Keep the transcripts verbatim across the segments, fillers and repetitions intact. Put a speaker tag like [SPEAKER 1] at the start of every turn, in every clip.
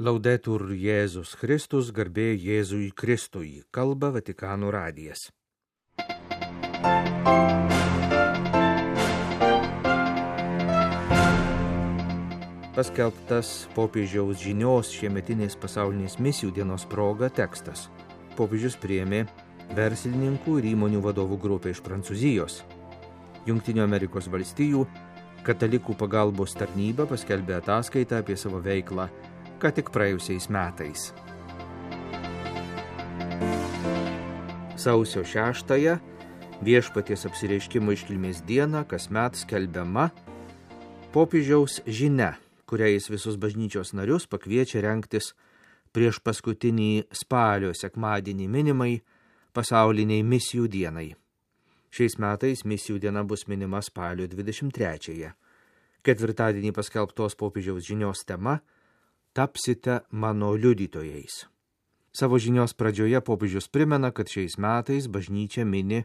[SPEAKER 1] Laudetur Jėzus Kristus, garbė Jėzui Kristui, kalba Vatikano radijas. Paskelbtas popiežiaus žinios šiemetinės pasaulinės misijų dienos proga tekstas. Popiežius priėmė verslininkų ir įmonių vadovų grupę iš Prancūzijos. Jungtinių Amerikos valstijų katalikų pagalbos tarnyba paskelbė ataskaitą apie savo veiklą ką tik praėjusiais metais. Sausio šeštąją viešpaties apsireiškimo iškilmės dieną kasmet skelbiama popiežiaus žinia, kuria jis visus bažnyčios narius pakviečia rengtis prieš paskutinį spalio sekmadienį minimai pasauliniai misijų dienai. Šiais metais misijų diena bus minima spalio dvidešimt trečiąją. Ketvirtadienį paskelbtos popiežiaus žinios tema Tapsite mano liudytojais. Savo žinios pradžioje popiežius primena, kad šiais metais bažnyčia mini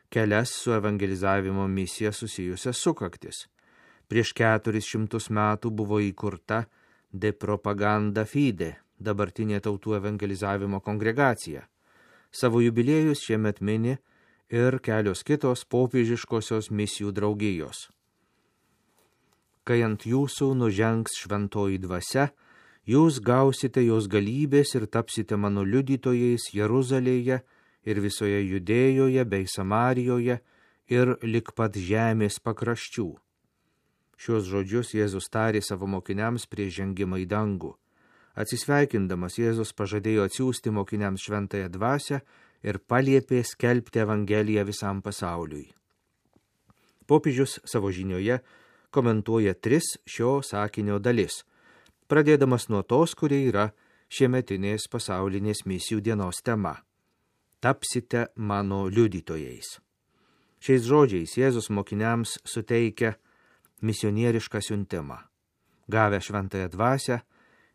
[SPEAKER 1] kelias su evangelizavimo misija susijusias sukaktis. Prieš keturis šimtus metų buvo įkurta De Propaganda Fide, dabartinė tautų evangelizavimo kongregacija. Savo jubiliejus šiemet mini ir kelios kitos popiežiškosios misijų draugijos. Kai ant jūsų nužengs šventoji dvasia, jūs gausite jos galybės ir tapsite mano liudytojais Jeruzalėje ir visoje Judėjoje bei Samarijoje ir lik pat žemės pakraščių. Šios žodžius Jėzus tarė savo mokiniams prieš žengimą į dangų. Atsisveikindamas Jėzus pažadėjo atsiųsti mokiniams šventąją dvasią ir paliepė skelbti Evangeliją visam pasauliui. Popiežius savo žinioje komentuoja tris šio sakinio dalis, pradėdamas nuo tos, kurie yra šiemetinės pasaulinės misijų dienos tema. Tapsite mano liudytojais. Šiais žodžiais Jėzus mokiniams suteikia misionierišką siuntimą. Gavę šventąją dvasią,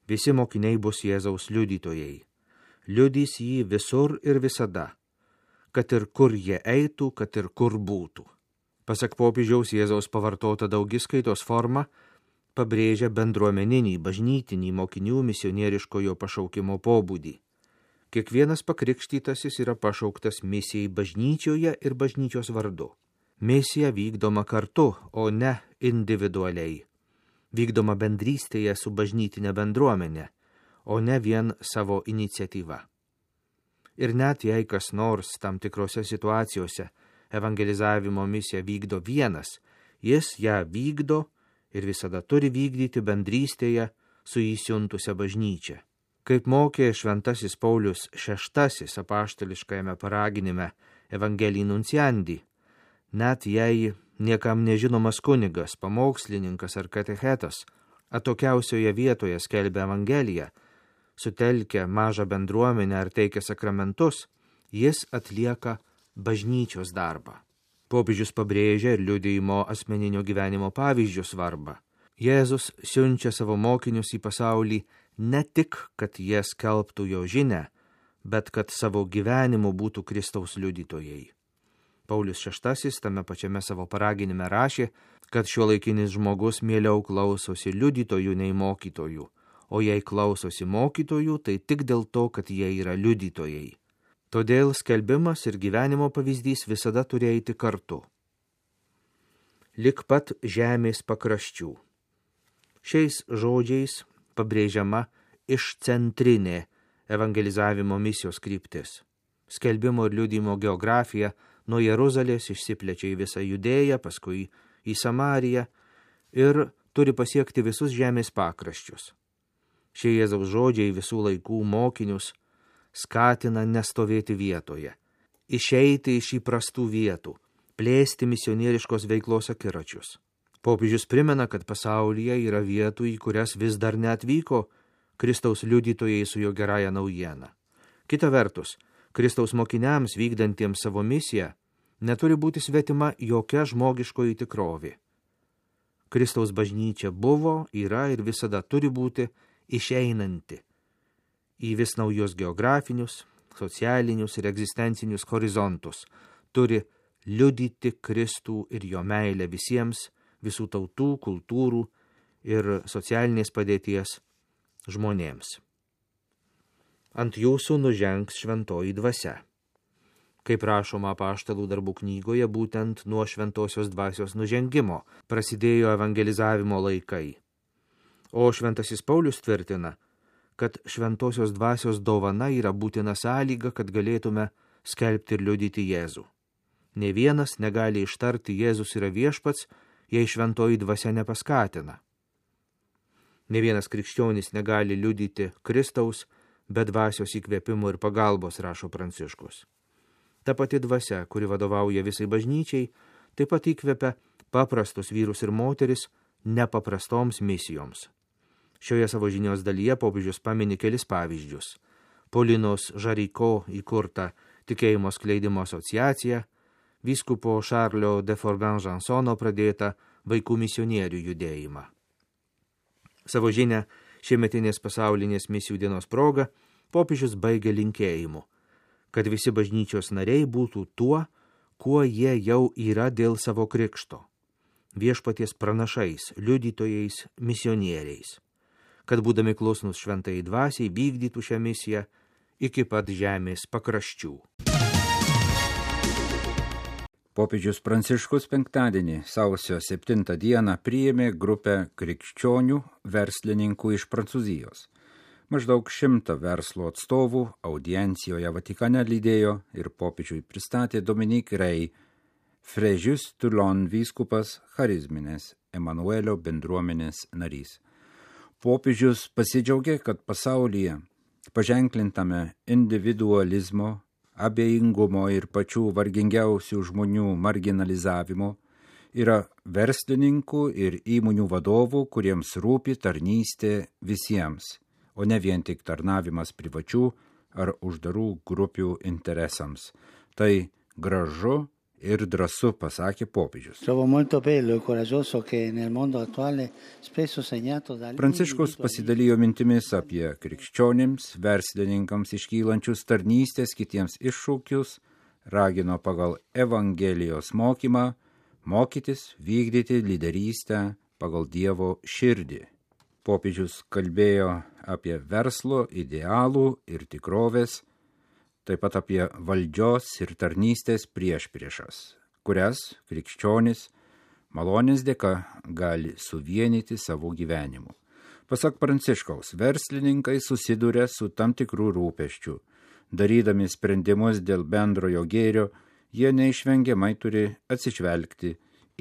[SPEAKER 1] visi mokiniai bus Jėzaus liudytojai. Liudys jį visur ir visada, kad ir kur jie eitų, kad ir kur būtų. Pasak popiežiaus Jėzaus pavartota daugiskaitos forma pabrėžia bendruomeninį, bažnytinį mokinių misionieriškojo pašaukimo pobūdį. Kiekvienas pakrikštytasis yra pašauktas misijai bažnyčioje ir bažnyčios vardu. Misija vykdoma kartu, o ne individualiai. Vykdoma bendrystėje su bažnytinė bendruomenė, o ne vien savo iniciatyva. Ir net jei kas nors tam tikrose situacijose evangelizavimo misiją vykdo vienas, jis ją vykdo ir visada turi vykdyti bendrystėje su įsiuntusia bažnyčia. Kaip mokė šventasis Paulius šeštasis apaštališkajame paraginime Evangelii Nunciandi, net jei niekam nežinomas kunigas, pamokslininkas ar katechetas atokiausioje vietoje skelbia Evangeliją, sutelkia mažą bendruomenę ar teikia sakramentus, jis atlieka bažnyčios darbą. Popiežius pabrėžia ir liudijimo asmeninio gyvenimo pavyzdžių svarbą. Jėzus siunčia savo mokinius į pasaulį ne tik, kad jie skelbtų jo žinią, bet kad savo gyvenimu būtų Kristaus liudytojai. Paulius šeštasis tame pačiame savo paraginime rašė, kad šiuolaikinis žmogus mieliau klausosi liudytojų nei mokytojų, o jei klausosi mokytojų, tai tik dėl to, kad jie yra liudytojai. Todėl skelbimas ir gyvenimo pavyzdys visada turi eiti kartu. Lik pat žemės pakraščių. Šiais žodžiais pabrėžiama išcentrinė evangelizavimo misijos kryptis. Skelbimo ir liudijimo geografija nuo Jeruzalės išsiplečia į visą Judėją, paskui į Samariją ir turi pasiekti visus žemės pakraščius. Šie Jėzaus žodžiai visų laikų mokinius skatina nestovėti vietoje, išeiti iš įprastų vietų, plėsti misionieriškos veiklos akiračius. Popiežius primena, kad pasaulyje yra vietų, į kurias vis dar neatvyko Kristaus liudytojai su jo gerąja naujiena. Kita vertus, Kristaus mokiniams vykdantiems savo misiją neturi būti svetima jokia žmogiškoji tikrovė. Kristaus bažnyčia buvo, yra ir visada turi būti išeinanti į vis naujus geografinius, socialinius ir egzistencinius horizontus, turi liudyti Kristų ir jo meilę visiems, visų tautų, kultūrų ir socialinės padėties žmonėms. ant jūsų nužengs šventoji dvasia. Kaip rašoma Apaštalų darbų knygoje, būtent nuo šventosios dvasios nužengimo prasidėjo evangelizavimo laikai. O šventasis Paulius tvirtina, kad šventosios dvasios dovana yra būtina sąlyga, kad galėtume skelbti ir liudyti Jėzų. Ne vienas negali ištarti Jėzus yra viešpats, jei šventoji dvasia nepaskatina. Ne vienas krikščionis negali liudyti Kristaus be dvasios įkvėpimo ir pagalbos, rašo Pranciškus. Ta pati dvasia, kuri vadovauja visai bažnyčiai, taip pat įkvepia paprastus vyrus ir moteris nepaprastoms misijoms. Šioje savo žinios dalyje popiežius pamini kelis pavyzdžius. Polinos Žariko įkurta tikėjimo skleidimo asociacija, vyskupo Šarlio de Forgan-Žansono pradėta vaikų misionierių judėjimą. Savo žinią šiemetinės pasaulinės misijų dienos proga popiežius baigė linkėjimu, kad visi bažnyčios nariai būtų tuo, kuo jie jau yra dėl savo krikšto, viešpaties pranašais, liudytojais, misionieriais, kad būdami klusnus šventai dvasiai vykdytų šią misiją iki pat žemės pakraščių.
[SPEAKER 2] Popiežius Pranciškus penktadienį, sausio septintą dieną, priėmė grupę krikščionių verslininkų iš Prancūzijos. Maždaug šimtą verslo atstovų audiencijoje Vatikane lydėjo ir popiežiui pristatė Dominique Rey, Fréjus Toulon vyskupas, charizminės Emanuelio bendruomenės narys. Popiežius pasidžiaugė, kad pasaulyje paženklintame individualizmo, abejingumo ir pačių vargingiausių žmonių marginalizavimo yra verslininkų ir įmonių vadovų, kuriems rūpi tarnystė visiems, o ne vien tik tarnavimas privačių ar uždarų grupių interesams. Tai gražu ir drąsu, pasakė popiežius. Pranciškus pasidalijo mintimis apie krikščionims, verslininkams iškylančius tarnystės kitiems iššūkius, ragino pagal Evangelijos mokymą mokytis vykdyti lyderystę pagal Dievo širdį. Popiežius kalbėjo apie verslo idealų ir tikrovės, taip pat apie valdžios ir tarnystės priešpriešas, kurias krikščionis malonės dėka gali suvienyti savo gyvenimu. Pasak Pranciškaus, verslininkai susiduria su tam tikrų rūpesčių. Darydami sprendimus dėl bendrojo gėrio, jie neišvengiamai turi atsižvelgti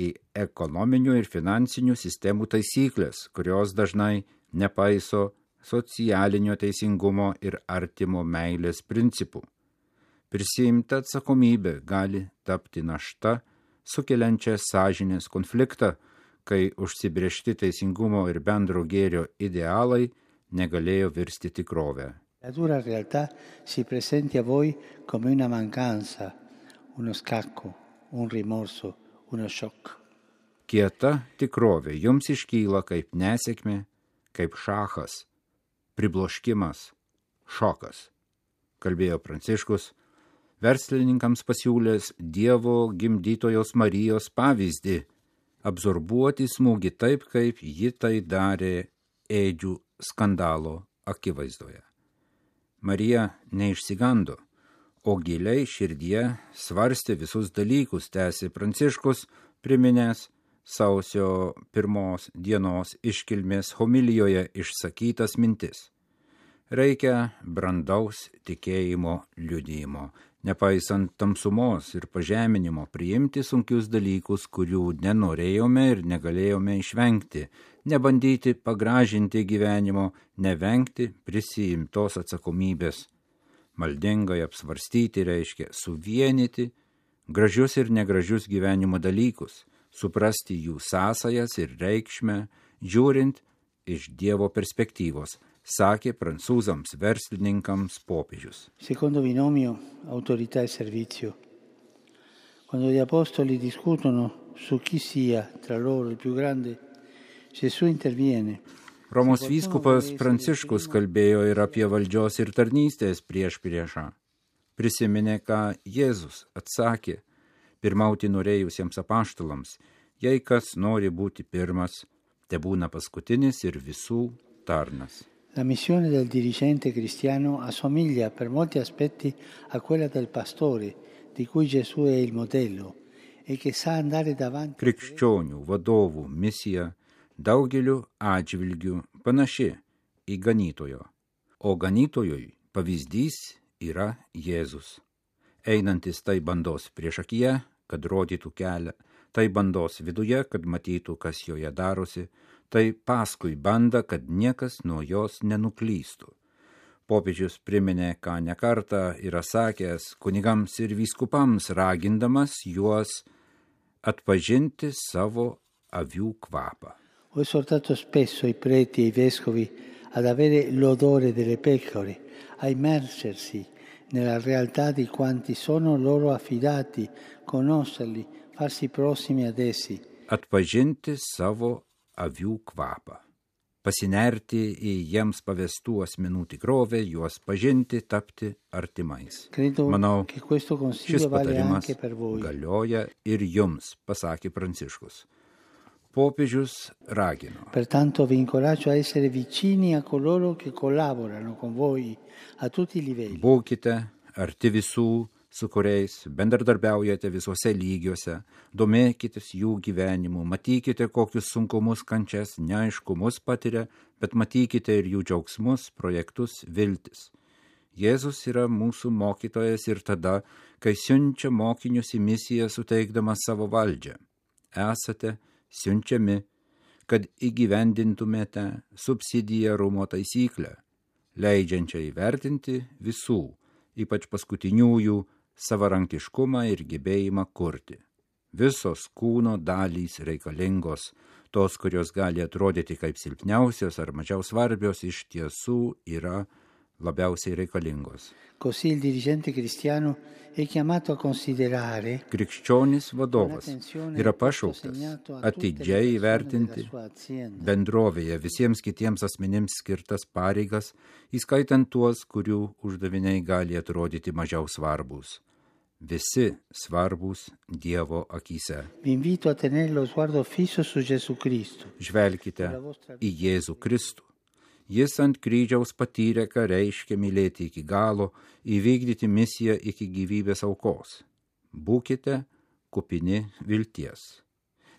[SPEAKER 2] į ekonominių ir finansinių sistemų taisyklės, kurios dažnai nepaiso socialinio teisingumo ir artimo meilės principų. Prisiimta atsakomybė gali tapti našta, sukeliančia sąžinės konfliktą, kai užsibrėžti teisingumo ir bendro gėrio idealai negalėjo virsti tikrovę.
[SPEAKER 3] La dura realtà si presenti a voi come una mancanza, uno scacco, un rimorso, uno shock.
[SPEAKER 2] Kieta tikrovė jums iškyla kaip nesėkmė, kaip šachas, pribloškimas, šokas, kalbėjo Pranciškus, verslininkams pasiūlęs Dievo gimdytojos Marijos pavyzdį, absorbuoti smūgį taip, kaip ji tai darė ėdžių skandalo akivaizdoje. Marija neišsigando, o giliai širdyje svarstė visus dalykus, tęsė Pranciškus, priminęs sausio pirmos dienos iškilmės homilijoje išsakytas mintis. Reikia brandaus tikėjimo liudijimo, nepaisant tamsumos ir pažeminimo, priimti sunkius dalykus, kurių nenorėjome ir negalėjome išvengti, nebandyti pagražinti gyvenimo, nevengti prisiimtos atsakomybės. Maldingai apsvarstyti reiškia suvienyti gražius ir negražius gyvenimo dalykus, suprasti jų sąsajas ir reikšmę, žiūrint iš Dievo perspektyvos, sakė prancūzams verslininkams popiežius.
[SPEAKER 3] Secondo binomio autorità e servizio. Quando gli apostoli discutono su chi sia tra loro il più grande, Gesù interviene.
[SPEAKER 2] Romos vyskupas Pranciškus kalbėjo ir apie valdžios ir tarnystės priešpriešą. Prisiminė, ką Jėzus atsakė pirmauti norėjusiems apaštalams: jei kas nori būti pirmas, tebūna paskutinis ir visų tarnas.
[SPEAKER 3] La missione del dirigente cristiano assomiglia per molti aspetti a quella del pastore, di cui Gesù è il modello e che sa andare davanti.
[SPEAKER 2] Krikščionių vadovų misija daugeliu atžvilgių panaši į ganytojo, o ganytojui pavyzdys yra Jėzus. Einantis tai bandos priešakyje, kad rodytų kelią, tai bandos viduje, kad matytų, kas joje darosi, tai paskui bandą, kad niekas nuo jos nenuklystų. Popiežius priminė, ką nekartą yra sakęs kunigams ir vyskupams, ragindamas juos atpažinti savo avių kvapą.
[SPEAKER 3] Ho esortato spesso i preti e i vescovi ad avere l'odore delle pecore, a immergersi nella realtà di quanti sono loro affidati, conoscerli, farsi prossimi ad essi.
[SPEAKER 2] Atpažinti savo avių kvapą. Pasinerti į jiems pavestų asmenų tikrovę, juos pažinti, tapti artimais. Manau, šis patarimas galioja ir jums, pasakė Pranciškus. Popiežius ragino.
[SPEAKER 3] Pertanto vi incoraggio a essere vicini a coloro che collaborano con voi a tutti i livelli.
[SPEAKER 2] Būkite arti visų, su kuriais bendradarbiaujate visuose lygiuose, domėkitės jų gyvenimu, matykite, kokius sunkumus, kančias, neaiškumus patiria, bet matykite ir jų džiaugsmus, projektus, viltis. Jėzus yra mūsų mokytojas ir tada, kai siunčia mokinius į misiją suteikdamas savo valdžią. Esate siunčiami, kad įgyvendintumėte subsidiarumo taisyklę, leidžiančią įvertinti visų, ypač paskutiniųjų, savarankiškumą ir gebėjimą kurti. Visos kūno dalys reikalingos, tos, kurios gali atrodyti kaip silpniausios ar mažiau svarbios, iš tiesų yra labiausiai reikalingos.
[SPEAKER 3] Così il dirigente cristiano è chiamato a considerare.
[SPEAKER 2] Krikščionis vadovas yra pašauktas atidžiai įvertinti bendrovėje visiems kitiems asmenims skirtas pareigas, įskaitant tuos, kurių uždaviniai gali atrodyti mažiau svarbus. Visi svarbus Dievo akyse.
[SPEAKER 3] Vi invito a tenere lo sguardo fisso su Gesù Cristo.
[SPEAKER 2] Žvelkite į Jėzų Kristų. Jis ant kryžiaus patyrė, ką reiškia mylėti iki galo, įvykdyti misiją iki gyvybės aukos. Būkite kupini vilties.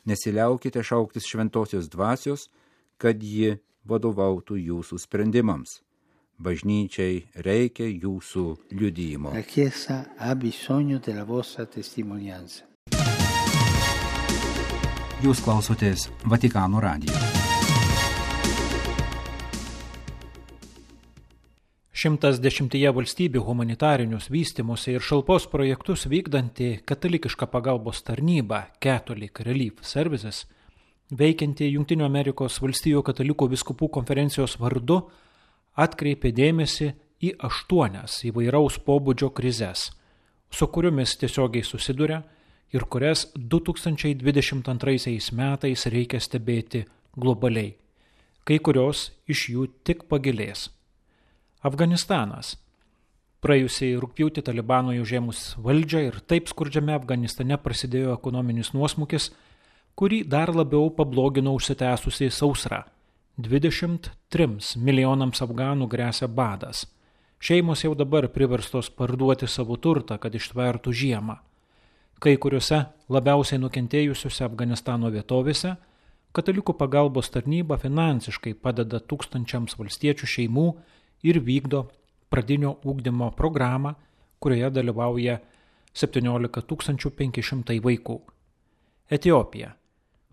[SPEAKER 2] Nesiliaukite šauktis šventosios dvasios, kad ji vadovautų jūsų sprendimams. Bažnyčiai reikia jūsų liudijimo.
[SPEAKER 3] La Chiesa ha bisogno della vostra testimonianza.
[SPEAKER 4] Jūs klausotės Vatikano radijo. Šimtas dešimtyje valstybių humanitarinius vystymosi ir šalpos projektus vykdanti katalikiška pagalbos tarnyba Catholic Relief Services, veikianti Jungtinių Amerikos valstijų katalikų vyskupų konferencijos vardu, atkreipė dėmesį į aštuonias įvairaus pobūdžio krizes, su kuriomis tiesiogiai susiduria ir kurias du tūkstančiai dvidešimt antraisiais metais reikia stebėti globaliai. Kai kurios iš jų tik pagilės. Afganistanas. Praėjusiai rugpjūtį Talibanui užėmus valdžią ir taip skurdžiame Afganistane prasidėjo ekonominis nuosmukis, kurį dar labiau pablogino užsitęsusiai sausra. dvidešimt trims milijonams afganų gresia badas. Šeimos jau dabar priverstos parduoti savo turtą, kad ištvertų žiemą. Kai kuriuose labiausiai nukentėjusiuose Afganistano vietovėse katalikų pagalbos tarnyba finansiškai padeda tūkstančiams valstiečių šeimų ir vykdo pradinio ugdymo programą, kurioje dalyvauja septyniolika tūkstančių penki šimtai vaikų. Etiopija.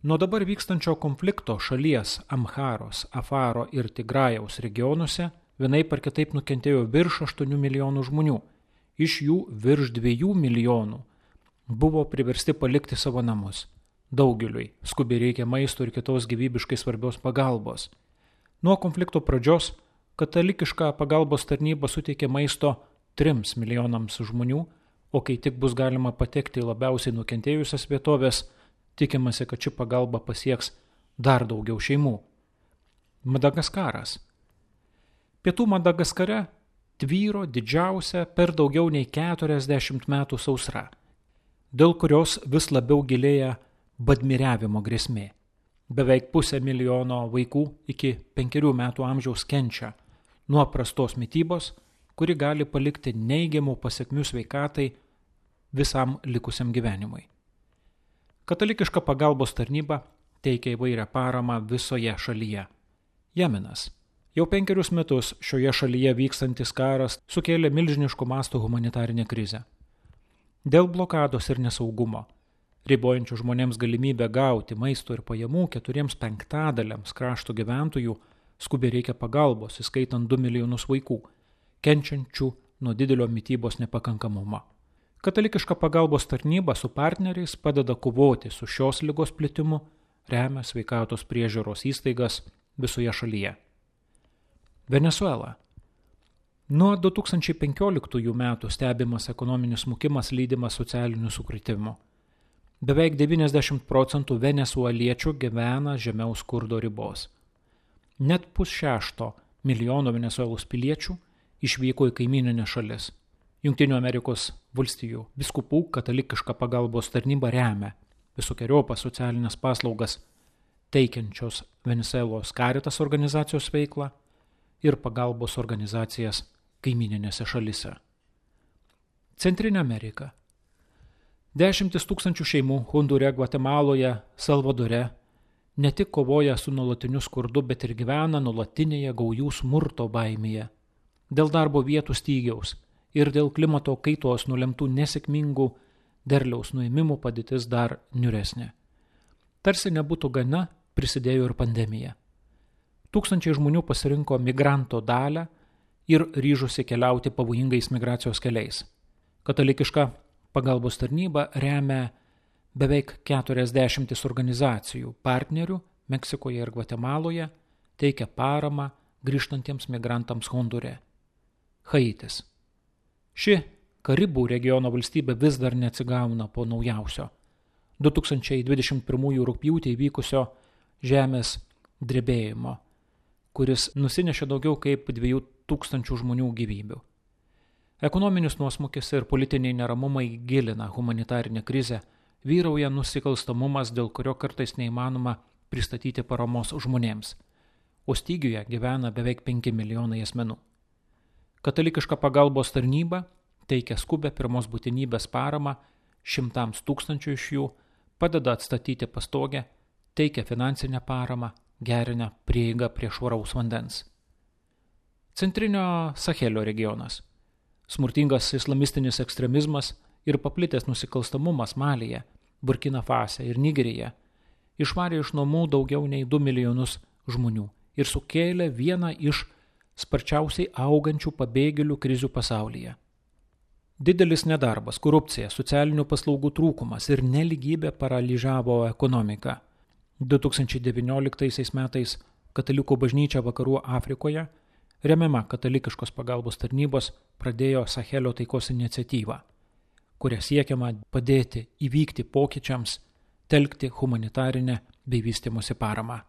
[SPEAKER 4] Nuo dabar vykstančio konflikto šalies Amharos, Afaro ir Tigrajaus regionuose vienaip ar kitaip nukentėjo virš aštuonių milijonų žmonių. Iš jų virš dviejų milijonų buvo priversti palikti savo namus. Daugeliui skubiai reikia maisto ir kitos gyvybiškai svarbios pagalbos. Nuo konflikto pradžios katalikiška pagalbos tarnyba suteikė maisto trims milijonams žmonių, o kai tik bus galima patekti į labiausiai nukentėjusias vietovės, tikimasi, kad ši pagalba pasieks dar daugiau šeimų. Madagaskaras. Pietų Madagaskare tvyro didžiausia per daugiau nei keturiasdešimt metų sausra, dėl kurios vis labiau gilėja badmiriavimo grėsmė. Beveik pusę milijono vaikų iki penkerių metų amžiaus kenčia nuo prastos mitybos, kuri gali palikti neigiamų pasekmių sveikatai visam likusiam gyvenimui. Katalikiška pagalbos tarnyba teikia įvairią paramą visoje šalyje. Jemenas. Jau penkerius metus šioje šalyje vykstantis karas sukėlė milžiniškų mastų humanitarinę krizę. Dėl blokados ir nesaugumo, ribojančių žmonėms galimybę gauti maisto ir pajamų keturiems penktadaliams krašto gyventojų, skubiai reikia pagalbos, įskaitant du milijonus vaikų, kenčiančių nuo didelio mitybos nepakankamumo. Katalikiška pagalbos tarnyba su partneriais padeda kovoti su šios ligos plitimu, remia sveikatos priežiūros įstaigas visoje šalyje. Venesuela. Nuo du tūkstančiai penkioliktųjų metų stebimas ekonominis smukimas lydimas socialinių sukrėtimų. Beveik devyniasdešimt procentų venesueliečių gyvena žemiau skurdo ribos. Net pusšešto milijono Venesuelos piliečių išvyko į kaimyninės šalis. Jungtinių Amerikos valstijų vyskupų katalikiška pagalbos tarnyba remia visokeriopą socialinės paslaugas teikiančios Venesuelos Caritas organizacijos veiklą ir pagalbos organizacijas kaimyninėse šalise. Centrinė Amerika. Dešimtis tūkstančių šeimų Hondūre, Gvatemaloje, Salvadore ne tik kovoja su nuolatiniu skurdu, bet ir gyvena nuolatinėje gaujų smurto baimėje. Dėl darbo vietų stygiaus ir dėl klimato kaitos nulemtų nesėkmingų derliaus nuėmimų padėtis dar niūresnė. Tarsi nebūtų gana, prisidėjo ir pandemija. Tūkstančiai žmonių pasirinko migranto dalią ir ryžosi keliauti pavojingais migracijos keliais. Katalikiška pagalbos tarnyba remia beveik keturiasdešimtis organizacijų partnerių Meksikoje ir Gvatemaloje, teikia paramą grįžtantiems migrantams Hondūre. Haitis. Ši Karibų regiono valstybė vis dar neatsigauna po naujausio du tūkstančiai dvidešimt pirmųjų rugpjūtį įvykusio žemės drebėjimo, kuris nusinešė daugiau kaip dviejų tūkstančių žmonių gyvybių. Ekonominis nuosmukis ir politiniai neramumai gilina humanitarinę krizę, vyrauja nusikalstamumas, dėl kurio kartais neįmanoma pristatyti paramos žmonėms, o stygiuje gyvena beveik penki milijonai asmenų. Katalikiška pagalbos tarnyba teikia skubę pirmos būtinybės paramą šimtams tūkstančių iš jų, padeda atstatyti pastogę, teikia finansinę paramą, gerina prieigą prie švaraus vandens. Centrinio Sahelio regionas. Smurtingas islamistinis ekstremizmas ir paplitęs nusikalstamumas Malyje, Burkina Fase ir Nigerija išvarė iš namų daugiau nei du milijonus žmonių ir sukėlė vieną iš sparčiausiai augančių pabėgėlių krizių pasaulyje. Didelis nedarbas, korupcija, socialinių paslaugų trūkumas ir neligybė paralyžavo ekonomiką. du tūkstančiai devynioliktaisiais metais Katalikų bažnyčia Vakarų Afrikoje, remiama katalikiškos pagalbos tarnybos, pradėjo Sahelio taikos iniciatyvą, kuria siekiama padėti įvykti pokyčiams, telkti humanitarinę bei vystymosi paramą.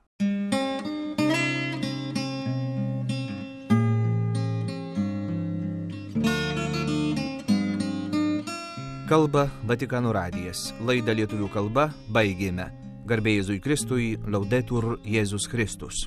[SPEAKER 1] Kalba Vatikano radijas. Laidą lietuvių kalba baigėme. Garbė Jėzui Kristui, Laudetur Jėzus Kristus.